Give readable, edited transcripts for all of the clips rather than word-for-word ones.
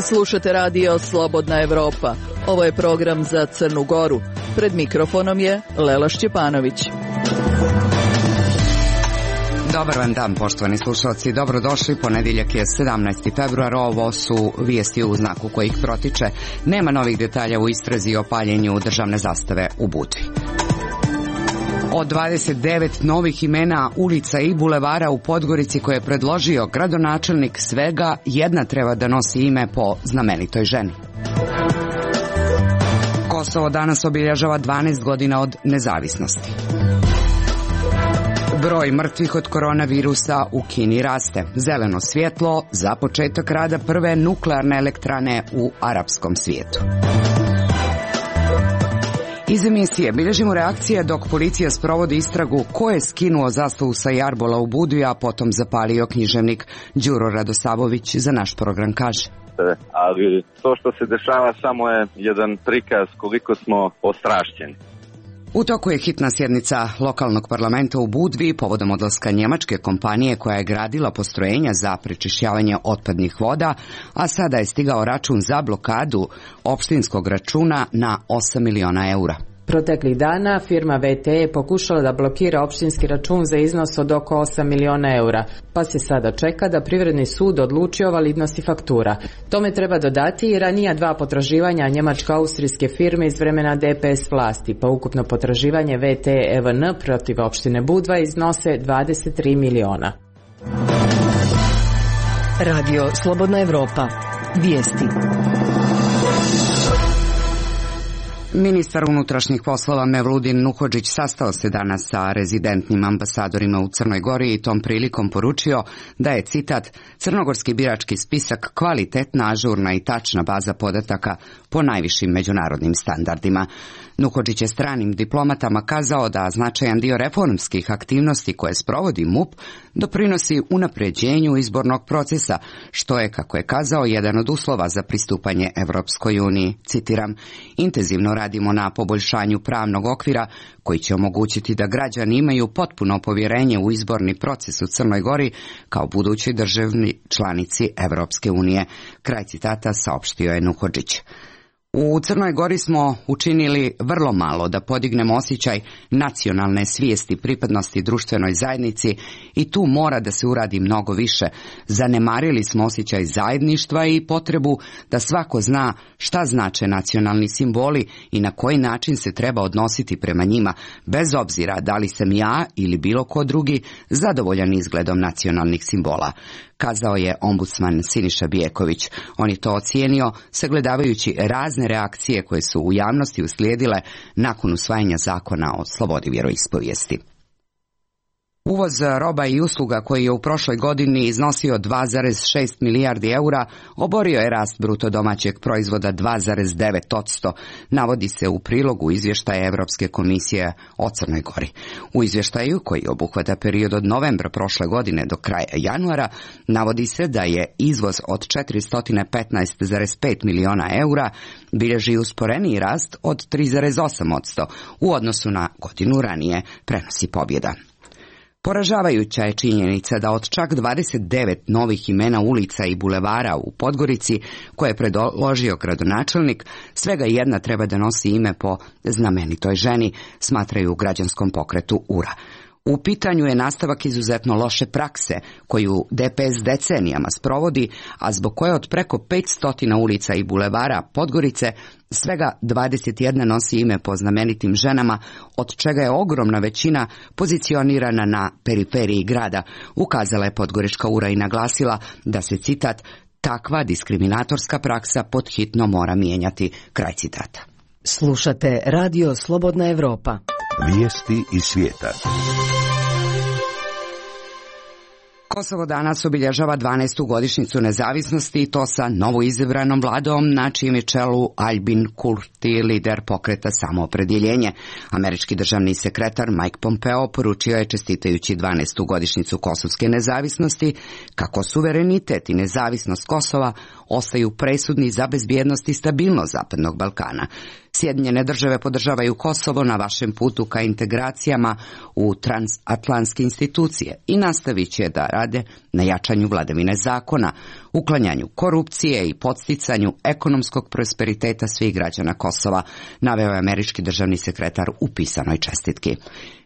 Slušate radio Slobodna Evropa. Ovo je program za Crnu Goru. Pred mikrofonom je Lela Šćepanović. Dobar vam dan, poštovani slušalci. Dobrodošli. Ponedjeljak je 17. februar. Ovo su vijesti u znaku kojih protiče. Nema novih detalja u istrazi o paljenju državne zastave u Budvi. Od 29 novih imena ulica i bulevara u Podgorici koje je predložio gradonačelnik, svega jedna treba da nosi ime po znamenitoj ženi. Kosovo danas obilježava 12 godina od nezavisnosti. Broj mrtvih od koronavirusa u Kini raste. Zeleno svjetlo za početak rada prve nuklearne elektrane u arapskom svijetu. Iz emisije bilježimo reakcije dok policija sprovodi istragu ko je skinuo zastavu sa jarbola u Budvi, a potom zapalio književnik. Đuro Radosavović za naš program kaže. Ali to što se dešava samo je jedan prikaz koliko smo ostrašćeni. U toku je hitna sjednica lokalnog parlamenta u Budvi povodom odlaska njemačke kompanije koja je gradila postrojenja za prečišćavanje otpadnih voda, a sada je stigao račun za blokadu opštinskog računa na 8 miliona eura. Proteklih dana firma VT je pokušala da blokira opštinski račun za iznos od oko 8 miliona eura, pa se sada čeka da Privredni sud odluči o validnosti faktura. Tome treba dodati i ranija dva potraživanja njemačko-austrijske firme iz vremena DPS vlasti, pa ukupno potraživanje VT EVN protiv opštine Budva iznose 23 miliona. Radio Slobodna Evropa. Vijesti. Ministar unutrašnjih poslova Mevludin Nuhodžić sastao se danas sa rezidentnim ambasadorima u Crnoj Gori i tom prilikom poručio da je, citat, crnogorski birački spisak kvalitetna, ažurna i tačna baza podataka po najvišim međunarodnim standardima. Nuhodžić je stranim diplomatama kazao da značajan dio reformskih aktivnosti koje sprovodi MUP doprinosi unapređenju izbornog procesa, što je, kako je kazao, jedan od uslova za pristupanje Evropskoj uniji. Citiram, intenzivno radimo na poboljšanju pravnog okvira koji će omogućiti da građani imaju potpuno povjerenje u izborni proces u Crnoj Gori kao budućoj državni članici Evropske unije. Kraj citata saopštio je Nuhodžić. U Crnoj Gori smo učinili vrlo malo da podignemo osjećaj nacionalne svijesti pripadnosti društvenoj zajednici i tu mora da se uradi mnogo više. Zanemarili smo osjećaj zajedništva i potrebu da svako zna šta znače nacionalni simboli i na koji način se treba odnositi prema njima, bez obzira da li sam ja ili bilo ko drugi zadovoljan izgledom nacionalnih simbola, kazao je ombudsman Siniša Bijeković. On je to ocijenio sagledavajući razne reakcije koje su u javnosti uslijedile nakon usvajanja zakona o slobodi vjeroispovijesti. Uvoz roba i usluga koji je u prošloj godini iznosio 2,6 milijardi eura oborio je rast bruto domaćeg proizvoda 2,9%, navodi se u prilogu izvještaja Europske komisije o Crnoj Gori. U izvještaju, koji obuhvata period od novembra prošle godine do kraja januara, navodi se da je izvoz od 415,5 miliona eura bilježi usporeniji rast od 3,8% u odnosu na godinu ranije, prenosi Pobjeda. Poražavajuća je činjenica da od čak 29 novih imena ulica i bulevara u Podgorici koje je predložio gradonačelnik, svega jedna treba da nosi ime po znamenitoj ženi, smatraju u građanskom pokretu URA. U pitanju je nastavak izuzetno loše prakse koju DPS decenijama sprovodi, a zbog koje od preko 500 ulica i bulevara Podgorice svega 21 nosi ime po znamenitim ženama, od čega je ogromna većina pozicionirana na periferiji grada, ukazala je podgorička URA i naglasila da se, citat, takva diskriminatorska praksa podhitno mora mijenjati, kraj citata. Slušate radio Slobodna Evropa. Vijesti iz svijeta. Kosovo danas obilježava 12. godišnjicu nezavisnosti i to sa novoizabranom vladom na čijem je čelu Albin Kurti, lider pokreta Samoopredjeljenje. Američki državni sekretar Mike Pompeo poručio je, čestitajući 12. godišnjicu kosovske nezavisnosti, kako suverenitet i nezavisnost Kosova ostaju presudni za bezbjednost i stabilnost Zapadnog Balkana. Sjedinjene države podržavaju Kosovo na vašem putu ka integracijama u transatlantske institucije i nastavit će da rade na jačanju vladavine zakona, uklanjanju korupcije i podsticanju ekonomskog prosperiteta svih građana Kosova, naveo je američki državni sekretar u pisanoj čestitki.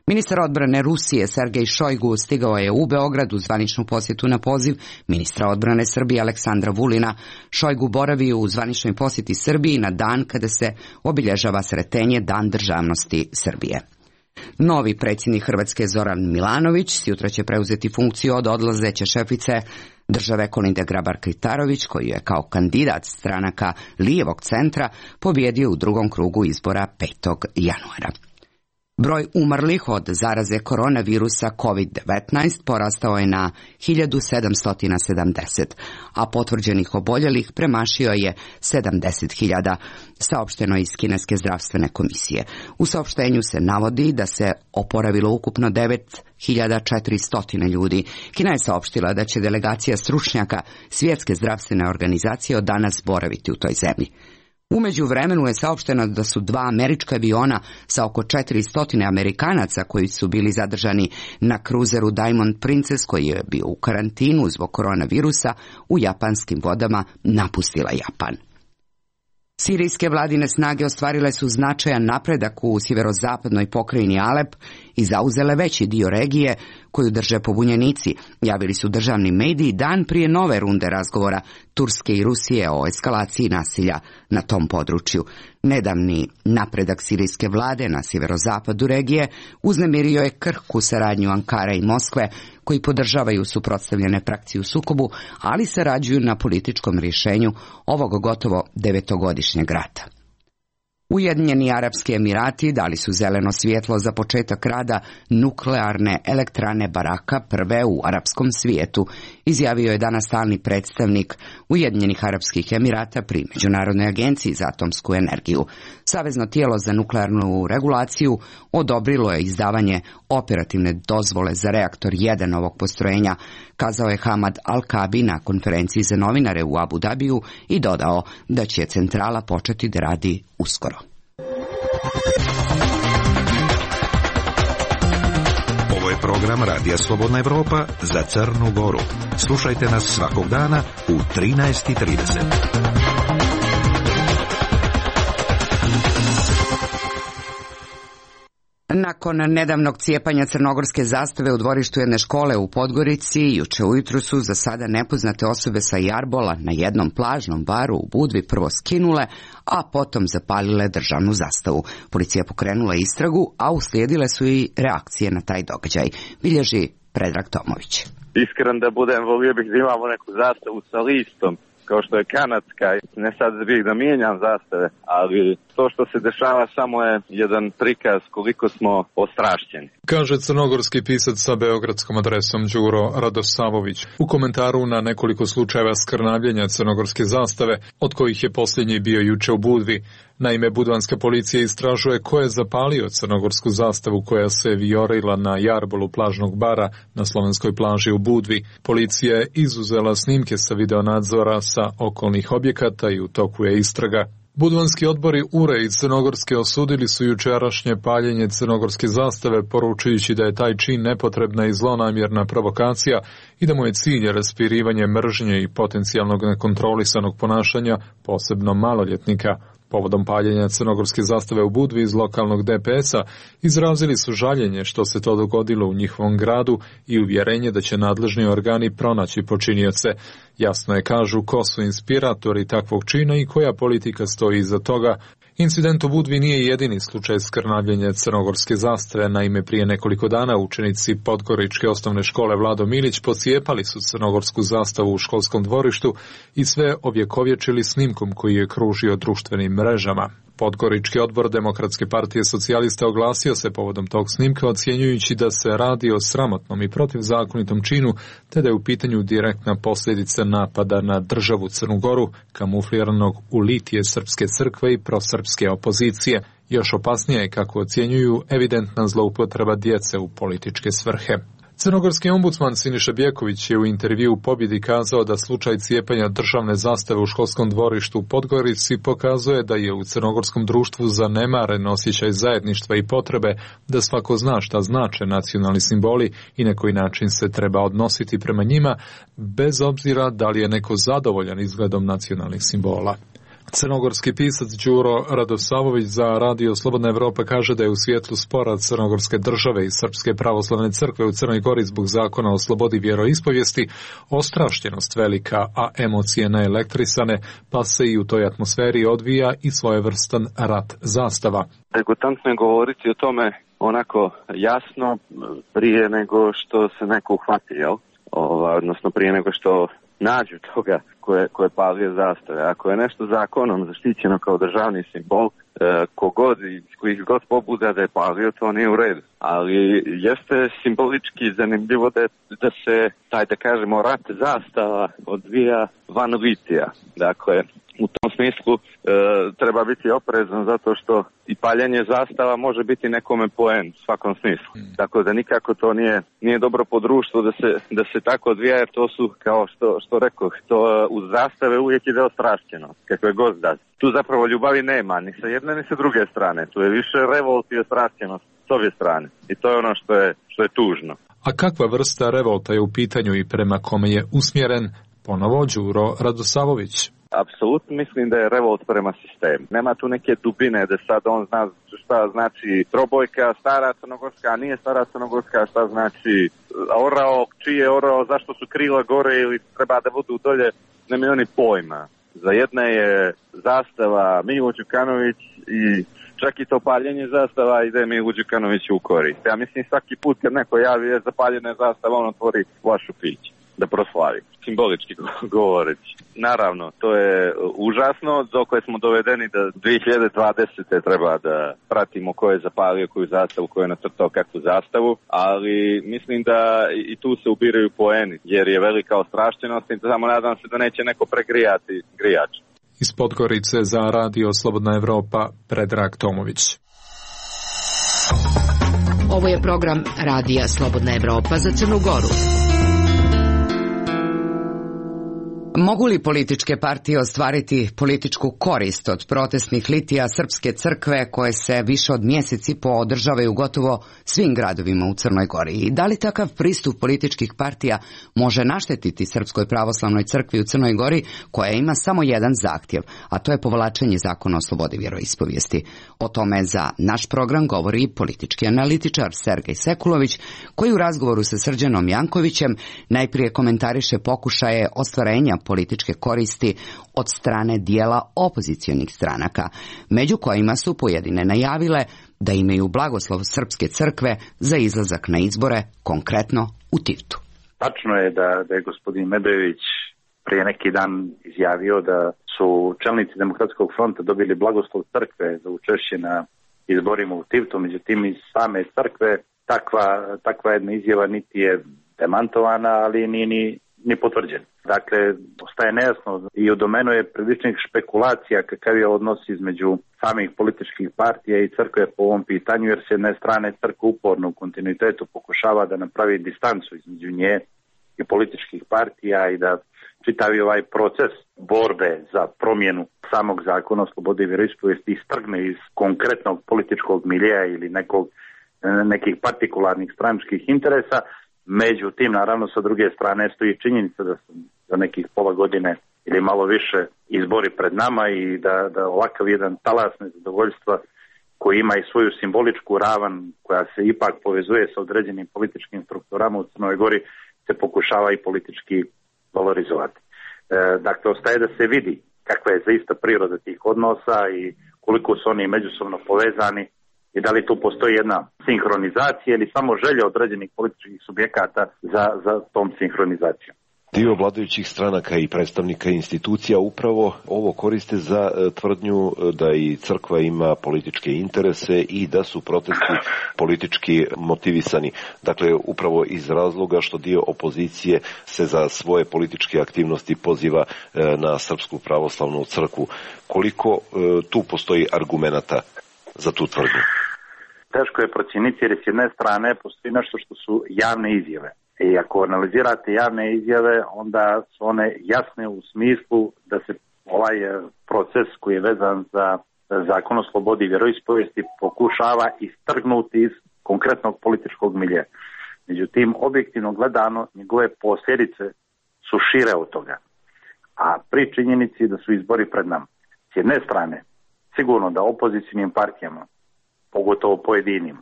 Ministar odbrane Rusije Sergej Šojgu stigao je u Beograd u zvaničnu posjetu na poziv ministra odbrane Srbije Aleksandra Vulina. Šojgu boravi u zvaničnoj posjeti Srbiji na dan kada se obilježava Sretenje, Dan državnosti Srbije. Novi predsjednik Hrvatske Zoran Milanović sutra će preuzeti funkciju od odlazeće šefice države Kolinde Grabar-Kitarović, koji je kao kandidat stranaka lijevog centra pobjedio u drugom krugu izbora 5. januara. Broj umrlih od zaraze koronavirusa COVID-19 porastao je na 1770, a potvrđenih oboljelih premašio je 70.000, saopšteno iz Kineske zdravstvene komisije. U saopštenju se navodi da se oporavilo ukupno 9.400 ljudi. Kina je saopštila da će delegacija stručnjaka Svjetske zdravstvene organizacije od danas boraviti u toj zemlji. U međuvremenu je saopšteno da su 2 američka aviona sa oko 400 Amerikanaca koji su bili zadržani na kruzeru Diamond Princess, koji je bio u karantinu zbog koronavirusa, u japanskim vodama napustila Japan. Sirijske vladine snage ostvarile su značajan napredak u sjeverozapadnoj pokrajini Alep i zauzele veći dio regije koju drže pobunjenici, javili su državni mediji dan prije nove runde razgovora Turske i Rusije o eskalaciji nasilja na tom području. Nedavni napredak sirijske vlade na sjeverozapadu regije uznemirio je krhku saradnju Ankare i Moskve, koji podržavaju suprotstavljene frakcije u sukobu, ali sarađuju na političkom rješenju ovog gotovo 9-godišnjeg rata. Ujedinjeni Arapski Emirati dali su zeleno svjetlo za početak rada nuklearne elektrane Baraka, prve u arapskom svijetu, izjavio je danas stalni predstavnik Ujedinjenih Arapskih Emirata pri Međunarodnoj agenciji za atomsku energiju. Savezno tijelo za nuklearnu regulaciju odobrilo je izdavanje operativne dozvole za reaktor 1 ovog postrojenja, kazao je Hamad Al-Kabi na konferenciji za novinare u Abu Dabiju i dodao da će centrala početi da radi uskoro. Ovo je program Radija Slobodna Evropa za Crnu Goru. Slušajte nas svakog dana u 13:30. Nakon nedavnog cijepanja crnogorske zastave u dvorištu jedne škole u Podgorici, juče ujutru su za sada nepoznate osobe sa jarbola na jednom plažnom baru u Budvi prvo skinule, a potom zapalile državnu zastavu. Policija pokrenula istragu, a uslijedile su i reakcije na taj događaj, bilježi Predrag Tomović. Iskren da budem, volio bih da imamo neku zastavu sa listom, kao što je kanadska, ne sad bih da mijenjam zastave, ali to što se dešava samo je jedan prikaz koliko smo ostrašćeni. Kaže crnogorski pisac sa beogradskom adresom Đuro Radosavović u komentaru na nekoliko slučajeva skrnavljenja crnogorske zastave, od kojih je posljednji bio juče u Budvi. Naime, budvanska policija istražuje ko je zapalio crnogorsku zastavu koja se vijorila na jarbolu plažnog bara na slovenskoj plaži u Budvi. Policija je izuzela snimke sa videonadzora sa okolnih objekata i u toku je istraga. Budvanski odbori URE i Crnogorske osudili su jučerašnje paljenje crnogorske zastave, poručujući da je taj čin nepotrebna i zlonamjerna provokacija i da mu je cilj raspirivanje mržnje i potencijalnog nekontrolisanog ponašanja, posebno maloljetnika. Povodom paljenja crnogorske zastave u Budvi iz lokalnog DPS-a izrazili su žaljenje što se to dogodilo u njihovom gradu i uvjerenje da će nadležni organi pronaći počinioce. Jasno je, kažu, ko su inspiratori takvog čina i koja politika stoji iza toga. Incident u Budvi nije jedini slučaj skrnavljenja crnogorske zastave. Naime, prije nekoliko dana učenici Podgoričke osnovne škole Vlado Milić pocijepali su crnogorsku zastavu u školskom dvorištu i sve ovjekovječili snimkom koji je kružio društvenim mrežama. Podgorički odbor Demokratske partije socijalista oglasio se povodom tog snimka, ocjenjujući da se radi o sramotnom i protivzakonitom činu, te da je u pitanju direktna posljedica napada na državu Crnu Goru, kamufliranog u litije srpske crkve i prosrpske opozicije. Još opasnije je, kako ocjenjuju, evidentna zloupotreba djece u političke svrhe. Crnogorski ombudsman Siniša Bjeković je u intervjuu Pobjedi kazao da slučaj cijepanja državne zastave u školskom dvorištu u Podgorici pokazuje da je u crnogorskom društvu zanemaren osjećaj zajedništva i potrebe da svako zna šta znače nacionalni simboli i na koji način se treba odnositi prema njima, bez obzira da li je neko zadovoljan izgledom nacionalnih simbola. Crnogorski pisac Đuro Radosavović za Radio Slobodna Evropa kaže da je u svjetlu spora Crnogorske države i Srpske pravoslavne crkve u Crnoj Gori zbog zakona o slobodi vjeroispovijesti ostrašćenost velika, a emocije naelektrisane, pa se i u toj atmosferi odvija i svojevrstan rat zastava. Degutantno je govoriti o tome onako jasno prije nego što se neko uhvati, odnosno prije nego što nađu toga koje palio zastave. Ako je nešto zakonom zaštićeno kao državni simbol, kogod i kojih god pobuda da je palio, to nije u redu. Ali jeste simbolički zanimljivo da se taj, da kažemo, rat zastava odvija van litija. Dakle, u tom smislu treba biti oprezan zato što i paljenje zastava može biti nekome poen u svakom smislu. Tako da nikako to nije dobro po društvu da se tako odvija, jer to su, kao što rekoh, to uz zastave uvijek ide ostrašćenost, kakve god da. Tu zapravo ljubavi nema, ni sa jedne ni sa druge strane. Tu je više revolt i ostrašćenost s obje strane. I to je ono što je tužno. A kakva vrsta revolta je u pitanju i prema kome je usmjeren? Ponovo Đuro Radosavović. Apsolutno mislim da je revolt prema sistemu. Nema tu neke dubine da sad on zna šta znači trobojka, stara crnogorska, a nije stara crnogorska, šta znači orao, čiji je orao, zašto su krila gore ili treba da budu dolje, nema oni pojma. Za jedne je zastava Milo Đukanović i čak i to paljenje zastava ide Milo Đukanović u korist. Ja mislim svaki put kad neko javi je zapaljena zastava, on otvori vašu pić da proslavi, simbolički govoreći. Naravno, to je užasno, dokle smo dovedeni da 2020. treba da pratimo ko je zapalio koju zastavu, ko je nacrtao kakvu zastavu, ali mislim da i tu se ubiraju poeni, jer je velika ostrašćenost i samo nadam se da neće neko pregrijati grijač. Iz Podgorice za Radio Slobodna Evropa, Predrag Tomović. Ovo je program Radija Slobodna Evropa za Crnu Goru. Mogu li političke partije ostvariti političku korist od protestnih litija Srpske crkve koje se više od mjesec i po održavaju u gotovo svim gradovima u Crnoj Gori? I da li takav pristup političkih partija može naštetiti Srpskoj pravoslavnoj crkvi u Crnoj Gori, koja ima samo jedan zahtjev, a to je povlačenje zakona o slobodi vjeroispovijesti? O tome za naš program govori politički analitičar Sergej Sekulović, koji u razgovoru sa Srđanom Jankovićem najprije komentariše pokušaje ostvarenja političke koristi od strane dijela opozicionih stranaka, među kojima su pojedine najavile da imaju blagoslov Srpske crkve za izlazak na izbore, konkretno u Tivtu. Tačno je da je gospodin Medojević prije neki dan izjavio da su čelnici Demokratskog fronta dobili blagoslov crkve za učešće na izborima u Tivtu, međutim iz same crkve takva jedna izjava niti je demantovana, ali ni potvrđena. Dakle, ostaje nejasno i u domenu je priličnih špekulacija kakav je odnos između samih političkih partija i crkve po ovom pitanju, jer s jedne strane crkva uporno u kontinuitetu pokušava da napravi distancu između nje i političkih partija i da čitavi ovaj proces borbe za promjenu samog zakona o slobodi vjeroispovijesti istrgne iz konkretnog političkog miljeja ili nekih partikularnih stranačkih interesa. Međutim, naravno, sa druge strane stoji činjenica da su za nekih pola godine ili malo više izbori pred nama i da ovakav jedan talas nezadovoljstva koji ima i svoju simboličku ravan koja se ipak povezuje sa određenim političkim strukturama u Crnoj Gori se pokušava i politički valorizovati. Dakle, ostaje da se vidi kakva je zaista priroda tih odnosa i koliko su oni međusobno povezani i da li tu postoji jedna sinhronizacija ili samo želja određenih političkih subjekata za tom sinhronizacijom. Dio vladajućih stranaka i predstavnika institucija upravo ovo koriste za tvrdnju da i crkva ima političke interese i da su protesti politički motivisani. Dakle, upravo iz razloga što dio opozicije se za svoje političke aktivnosti poziva na Srpsku pravoslavnu crkvu. Koliko tu postoji argumenata za tu tvrdnju? teško je procijeniti jer s jedne strane postoji nešto što su javne izjave. I ako analizirate javne izjave, onda su one jasne u smislu da se ovaj proces koji je vezan za Zakon o slobodi i vjeroispovijesti pokušava istrgnuti iz konkretnog političkog miljeja. Međutim, objektivno gledano, njegove posljedice su šire od toga. A pri činjenici da su izbori pred nama. S jedne strane, sigurno da opozicijnim partijama, pogotovo pojedinim,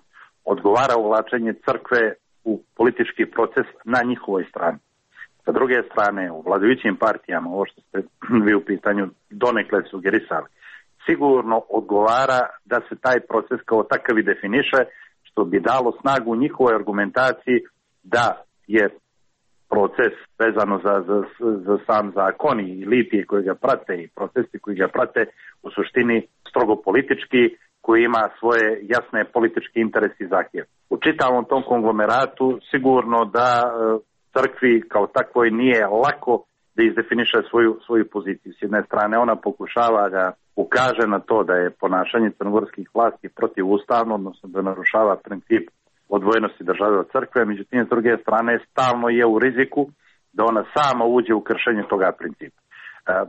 odgovara uvlačenje crkve u politički proces na njihovoj strani. Sa druge strane, u vladajućim partijama, ovo što ste vi u pitanju donekle sugerisali, sigurno odgovara da se taj proces kao takav i definiše, što bi dalo snagu njihovoj argumentaciji da je proces vezano za sam zakon i litije koji ga prate i procesi koji ga prate u suštini strogo politički, koji ima svoje jasne političke interese i zahtjeve. U čitavom tom konglomeratu sigurno da crkvi kao takvoj nije lako da izdefiniše svoju poziciju. S jedne strane ona pokušava da ukaže na to da je ponašanje crnogorskih vlasti protivustavno, odnosno da narušava princip odvojenosti države od crkve, međutim s druge strane stalno je u riziku da ona sama uđe u kršenje toga principa.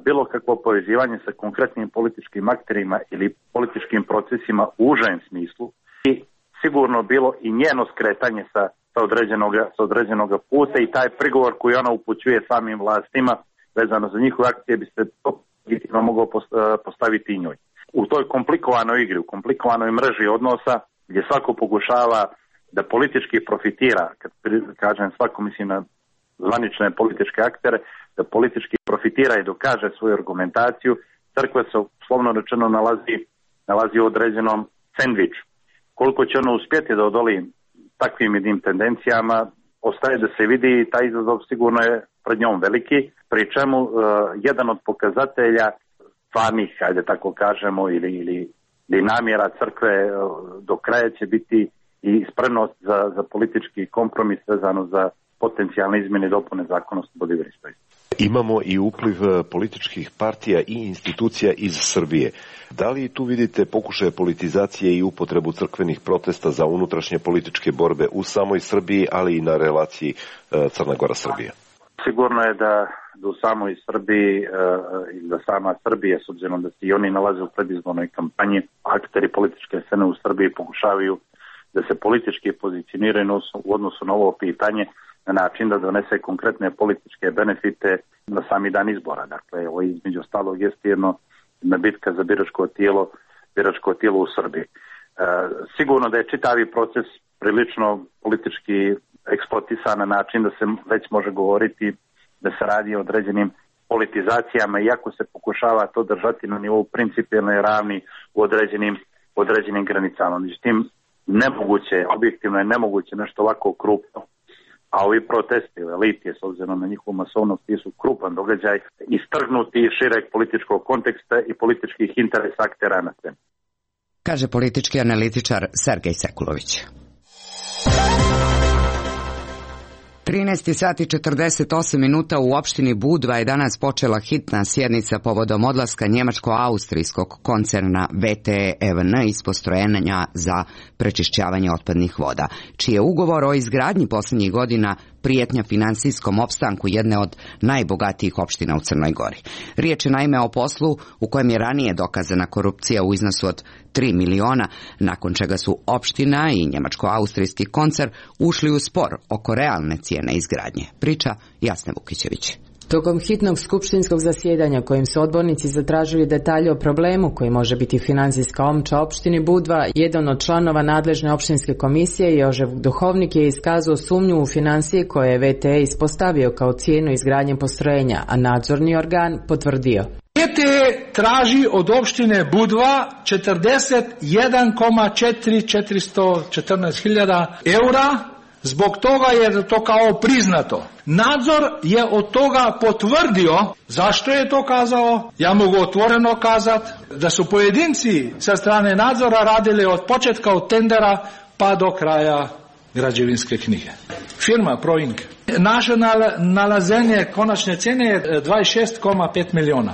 Bilo kakvo povezivanje sa konkretnim političkim akterima ili političkim procesima u užem smislu i sigurno bilo i njeno skretanje sa određenog puta i taj prigovor koji ona upućuje samim vlastima vezano za njihove akcije bi se to moglo postaviti i njoj. U toj komplikovanoj igri, u komplikovanoj mreži odnosa gdje svako pokušava da politički profitira, kad kažem svako mislim na zvanične političke aktere, da politički profitira i dokaže svoju argumentaciju, crkva se slovno rečeno nalazi u određenom sendviču. Koliko će ono uspjeti da odoli takvim jednim tendencijama, ostaje da se vidi i taj izazov sigurno je pred njom veliki, pri čemu jedan od pokazatelja stvarnih, ajde tako kažemo, ili namjera crkve do kraja će biti i spremnost za politički kompromis vezano za potencijalne izmjene i dopune zakona o slobodi vjeroispovijesti. Imamo i upliv političkih partija i institucija iz Srbije. Da li tu vidite pokušaje politizacije i upotrebu crkvenih protesta za unutrašnje političke borbe u samoj Srbiji, ali i na relaciji Crna Gora-Srbija? Sigurno je da u samoj Srbiji i da sama Srbija, s obzirom da se i oni nalaze u predizbornoj kampanji, akteri političke scene u Srbiji pokušavaju da se politički pozicioniraju u odnosu na ovo pitanje na način da donese konkretne političke benefite na sami dan izbora. Dakle, ovo između ostalog jeste jedna bitka za biračko tijelo u Srbiji. Sigurno da je čitavi proces prilično politički eksploatisan na način da se već može govoriti da se radi o određenim politizacijama, iako se pokušava to držati na nivou principijelne ravni u određenim granicama. Međutim, objektivno je nemoguće nešto ovako krupno, a ovi protesti elitije, s obzirom na njihovu masovnost, su krupan događaj, istrgnuti iz šireg političkog konteksta i političkih interesa aktera na sceni. Kaže politički analitičar Sergej Sekulović. 13 sati 48 minuta u opštini Budva je danas počela hitna sjednica povodom odlaska njemačko-austrijskog koncerna VTE EVN iz postrojenja za prečišćavanje otpadnih voda, čiji je ugovor o izgradnji posljednjih godina prijetnja finansijskom opstanku jedne od najbogatijih opština u Crnoj Gori. Riječ je naime o poslu u kojem je ranije dokazana korupcija u iznosu od 3 miliona, nakon čega su opština i njemačko-austrijski koncern ušli u spor oko realne cijene izgradnje. Priča Jasne Vukićević. Tokom hitnog skupštinskog zasjedanja kojim su odbornici zatražili detalje o problemu koji može biti financijska omča opštini Budva, jedan od članova nadležne opštinske komisije, Jožef Duhovnik, je iskazao sumnju u financije koje je VTE ispostavio kao cijenu izgradnje postrojenja, a nadzorni organ potvrdio. VTE traži od opštine Budva 41,414 eura, zbog toga je to kao priznato. Nadzor je od toga potvrdio. Zašto je to kazao? Ja mogu otvoreno kazati da su pojedinci sa strane nadzora radili od početka od tendera pa do kraja građevinske knjige. Firma Proink. Naše nalazenje konačne cijene je 26,5 miliona.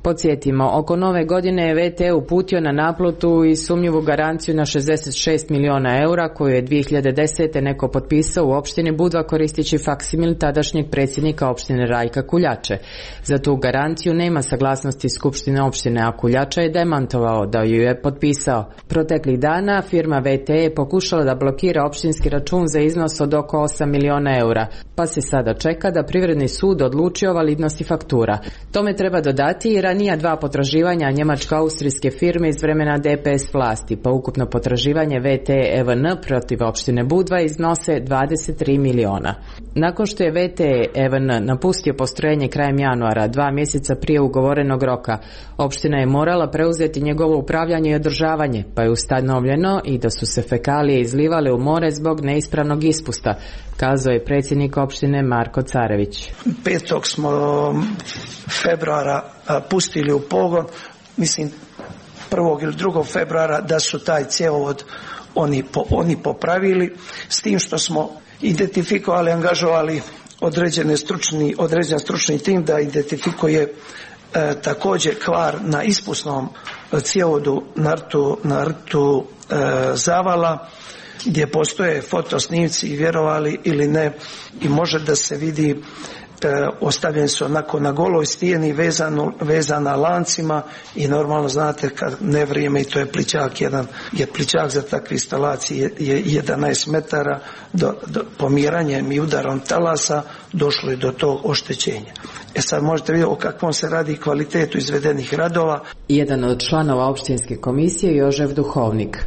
Podsjetimo, oko nove godine je VT uputio na naplatu i sumnjivu garanciju na 66 miliona eura koju je 2010. neko potpisao u opštini Budva koristeći faksimil tadašnjeg predsjednika opštine Rajka Kuljače. Za tu garanciju nema saglasnosti Skupštine opštine, a Kuljača je demantovao da ju je potpisao. Proteklih dana firma VT je pokušala da blokira opštinski račun za iznos od oko 8 miliona eura, pa se sada čeka da Privredni sud odluči o validnosti faktura. Tome treba dodati i ranija dva potraživanja njemačko-austrijske firme iz vremena DPS vlasti, pa ukupno potraživanje VT EVN protiv opštine Budva iznose 23 miliona. Nakon što je VT EVN napustio postrojenje krajem januara, 2 mjeseca prije ugovorenog roka, opština je morala preuzeti njegovo upravljanje i održavanje, pa je ustanovljeno i da su se fekalije izlivale u more zbog neispravnog ispusta, kazao je predsjednik opštine Marko Carević. 5. smo februara pustili u pogon, mislim 1. ili 2. februara da su taj cjevovod oni popravili, s tim što smo identifikovali, angažovali određen stručni tim da identifikuje također kvar na ispusnom cjevovodu na rtu Zavala, gdje postoje fotosnimci, vjerovali ili ne, i može da se vidi ostavljeni su onako na goloj stijeni vezana lancima i normalno znate kad ne vrijeme i to je plićak, je plićak za takve instalacije je 11 metara, do pomiranjem i udarom talasa došlo je do tog oštećenja. Sad možete vidjeti o kakvom se radi kvalitetu izvedenih radova. Jedan od članova opštinske komisije je Jožef Duhovnik.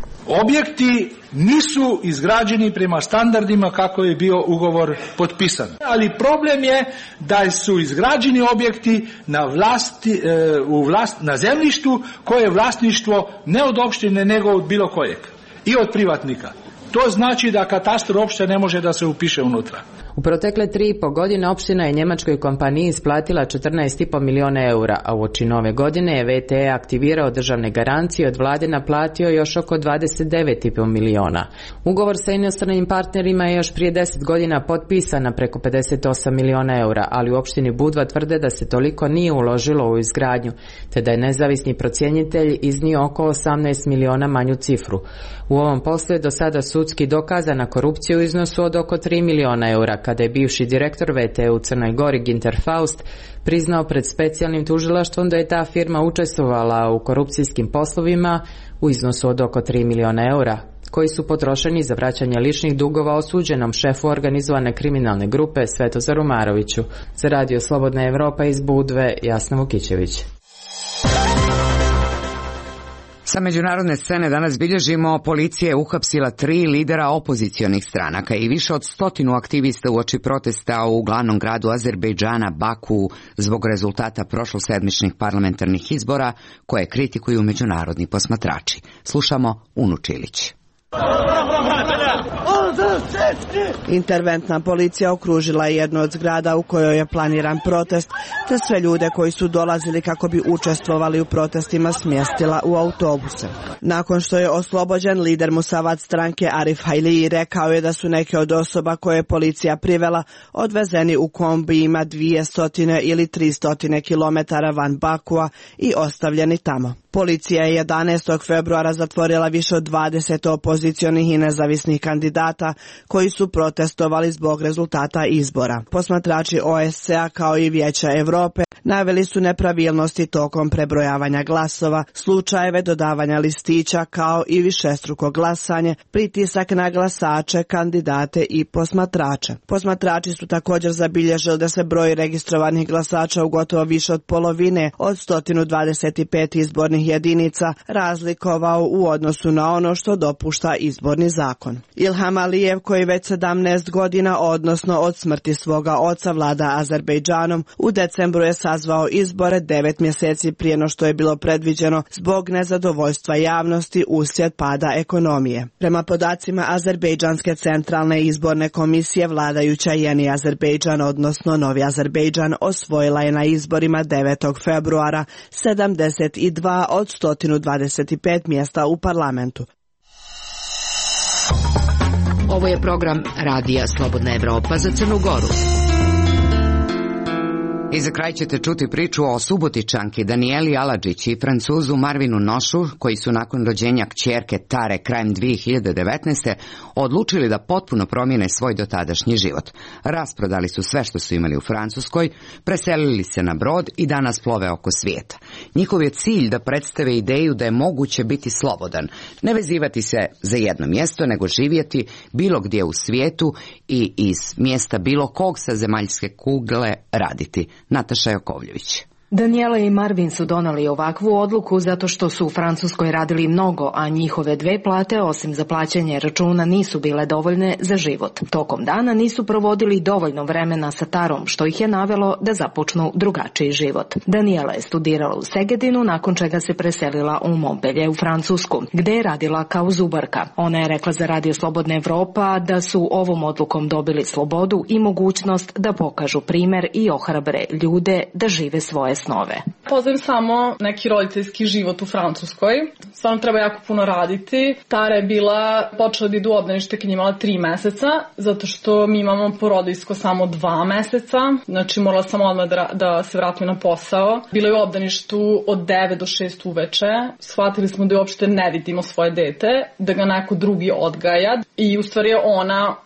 Objekti nisu izgrađeni prema standardima kako je bio ugovor potpisan. Ali problem je da su izgrađeni objekti na zemljištu koje je vlasništvo ne od opštine nego od bilo kojeg i od privatnika. To znači da katastar uopšte ne može da se upiše unutra. U protekle 3,5 godine opština je njemačkoj kompaniji isplatila 14,5 miliona eura, a uoči nove godine je VT aktivirao državne garancije, od vlade naplatio još oko 29,5 miliona. Ugovor sa inostranim partnerima je još prije 10 godina potpisan na preko 58 miliona eura, ali u opštini Budva tvrde da se toliko nije uložilo u izgradnju, te da je nezavisni procjenitelj iznio oko 18 miliona manju cifru. U ovom poslu je do sada sudski dokazana korupcija u iznosu od oko 3 miliona eura, kada je bivši direktor VT u Crnoj Gori Ginter Faust priznao pred specijalnim tužilaštvom da je ta firma učestvovala u korupcijskim poslovima u iznosu od oko 3 miliona eura, koji su potrošeni za vraćanje ličnih dugova osuđenom šefu organizovane kriminalne grupe Svetozaru Maroviću. Za Radio Slobodna Evropa iz Budve, Jasna Vukićević. Sa međunarodne scene danas bilježimo, policija je uhapsila 3 lidera opozicionih stranaka i više od 100 aktivista uoči protesta u glavnom gradu Azerbejdžana, Baku, zbog rezultata prošlosedmičnih parlamentarnih izbora koje kritikuju međunarodni posmatrači. Slušamo Unu Čilić. Interventna policija okružila je jednu od zgrada u kojoj je planiran protest, te sve ljude koji su dolazili kako bi učestvovali u protestima smjestila u autobuse. Nakon što je oslobođen, lider Musavad stranke Arif Hailiji rekao je da su neke od osoba koje je policija privela odvezeni u kombijima 200 ili 300 km van Bakua i ostavljeni tamo. Policija je 11. februara zatvorila više od 20 opozicionih i nezavisnih kandidata koji su protestovali zbog rezultata izbora. Posmatrači OSCE-a kao i Vijeća Europe naveli su nepravilnosti tokom prebrojavanja glasova, slučajeve dodavanja listića kao i višestruko glasanje, pritisak na glasače, kandidate i posmatrače. Posmatrači su također zabilježili da se broj registrovanih glasača u gotovo više od polovine od 125 izbornih jedinica razlikovao u odnosu na ono što dopušta izborni zakon. Ilham Alijev, koji već 17 godina, odnosno od smrti svoga oca, vlada Azerbejdžanom, u decembru je sazvao izbore 9 mjeseci prije no što je bilo predviđeno zbog nezadovoljstva javnosti uslijed pada ekonomije. Prema podacima Azerbejdžanske centralne izborne komisije, vladajuća Jeni Azerbejdžan, odnosno Novi Azerbejdžan, osvojila je na izborima 9. februara 72 od 125 mjesta u parlamentu. Ovo je program Radija Slobodna Evropa za Crnu Goru. I za kraj ćete čuti priču o Subotičanki Danijeli Aladžić i Francuzu Marvinu Nošu, koji su nakon rođenja kćerke Tare krajem 2019. odlučili da potpuno promijene svoj dotadašnji život. Rasprodali su sve što su imali u Francuskoj, preselili se na brod i danas plove oko svijeta. Njihov je cilj da predstave ideju da je moguće biti slobodan, ne vezivati se za jedno mjesto, nego živjeti bilo gdje u svijetu i iz mjesta bilo kog sa zemaljske kugle raditi. Nataša Jakovljević. Danijela i Marvin su donali ovakvu odluku zato što su u Francuskoj radili mnogo, a njihove 2 plate, osim za plaćanje računa, nisu bile dovoljne za život. Tokom dana nisu provodili dovoljno vremena sa Tarom, što ih je navelo da započnu drugačiji život. Danijela je studirala u Segedinu, nakon čega se preselila u Montpellier u Francusku, gde je radila kao zubarka. Ona je rekla za Radio Slobodna Evropa da su ovom odlukom dobili slobodu i mogućnost da pokažu primer i ohrabre ljude da žive svoje snove. Poznajem samo neki roditeljski život u Francuskoj. Stvarno treba jako puno raditi. Tara je počela da idu u obdanište kad je imala 3 meseca, zato što mi imamo porodiljsko samo 2 meseca. Znači morala sam odmah da se vratim na posao. Bila je u obdaništu od 9 do 6 uveče. Shvatili smo da uopšte ne vidimo svoje dete, da ga neko drugi odgaja. I u stvari je ona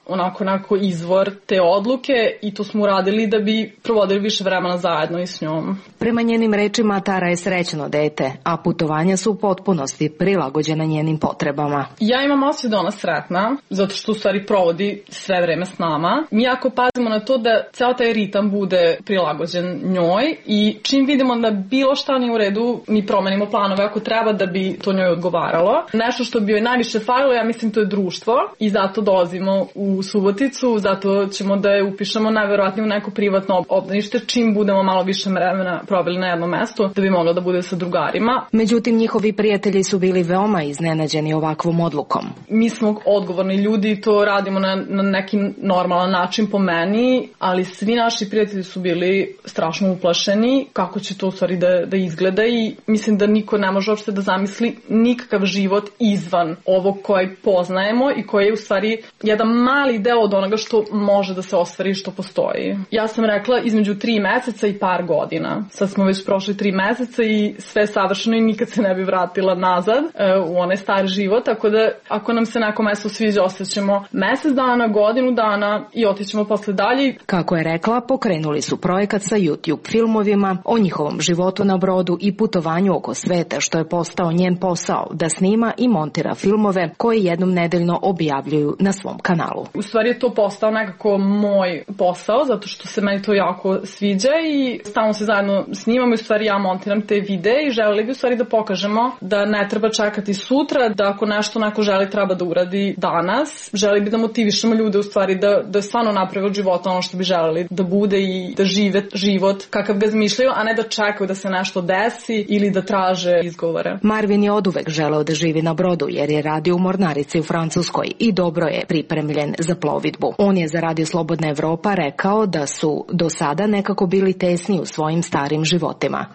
onako izvor te odluke i to smo uradili da bi provodili više vremena zajedno i s njom. Prema njenim rečima, Tara je srećno dete, a putovanja su u potpunosti prilagođena njenim potrebama. Ja imam osjećaj da ona sretna, zato što u stvari provodi sve vreme s nama. Mi jako pazimo na to da ceo taj ritam bude prilagođen njoj i čim vidimo da bilo šta nije u redu, mi promenimo planove ako treba da bi to njoj odgovaralo. Nešto što bi joj najviše falilo, ja mislim, to je društvo i zato dolazimo u Suboticu, zato ćemo da je upišemo najverovatnije u neko privatno obdanište čim budemo malo više vremena proveli na jednom mestu da bi mogla da bude sa drugarima. Međutim, njihovi prijatelji su bili veoma iznenađeni ovakvom odlukom. Mi smo odgovorni ljudi i to radimo na neki normalan način po meni, ali svi naši prijatelji su bili strašno uplašeni kako će to u stvari da izgleda i mislim da niko ne može uopšte da zamisli nikakav život izvan ovog koji poznajemo i koji je u stvari jedan mali deo od onoga što može da se ostvari i što postoji. Ja sam rekla između 3 meseca i par godina. Sad smo već prošli 3 meseca i sve savršeno i nikad se ne bi vratila nazad u onaj stari život, tako da ako nam se neko mesto sviđa, ostaćemo mesec dana, godinu dana i otićemo posle dalje. Kako je rekla, pokrenuli su projekat sa YouTube filmovima o njihovom životu na brodu i putovanju oko sveta, što je postao njen posao, da snima i montira filmove koje jednom nedeljno objavljuju na svom kanalu. U stvari je to postao nekako moj posao, zato što se meni to jako sviđa i stalno se zajedno snimamo i u stvari ja montiram te videe i želeli bi u stvari da pokažemo da ne treba čekati sutra, da ako nešto neko želi treba da uradi danas. Želeli bi da motivišemo ljude u stvari da stvarno naprave od života ono što bi želeli da bude i da žive život kakav ga zmišljaju, a ne da čekaju da se nešto desi ili da traže izgovore. Marvin je oduvek želeo da živi na brodu jer je radio u mornarici u Francuskoj i dobro je pripremljen za plovidbu. On je za Radio Slobodna Evropa rekao da su do sada nekako bili tesni u svojim starim životima.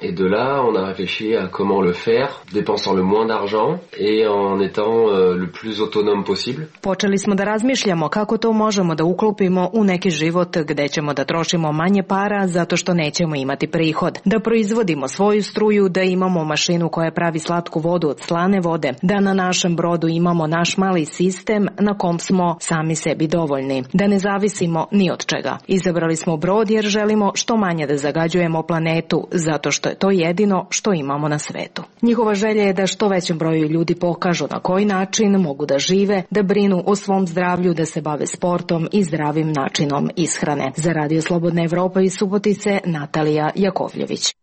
Et de là, on a réfléchi à comment le faire, dépensant le moins d'argent et en étant le plus autonome possible. Počeli smo da razmišljamo kako to možemo da uklopimo u neki život gde ćemo da trošimo manje para zato što nećemo imati prihod, da proizvodimo svoju struju, da imamo mašinu koja pravi slatku vodu od slane vode, da na našem brodu imamo naš mali sistem na kom smo sami sebi dovoljni, da ne zavisimo ni od čega. Izabrali smo brod jer želimo što manje da zagađujemo planetu, zato što je to jedino što imamo na svetu. Njihova želja je da što većem broju ljudi pokažu na koji način mogu da žive, da brinu o svom zdravlju, da se bave sportom i zdravim načinom ishrane. Za Radio Slobodna Evropa iz Subotice, Natalija Jakovljević.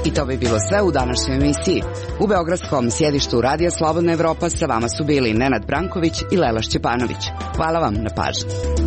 I to bi bilo sve u današnjoj emisiji. U beogradskom sjedištu Radija Slobodna Evropa sa vama su bili Nenad Branković i Lela Šćepanović. Hvala vam na pažnji.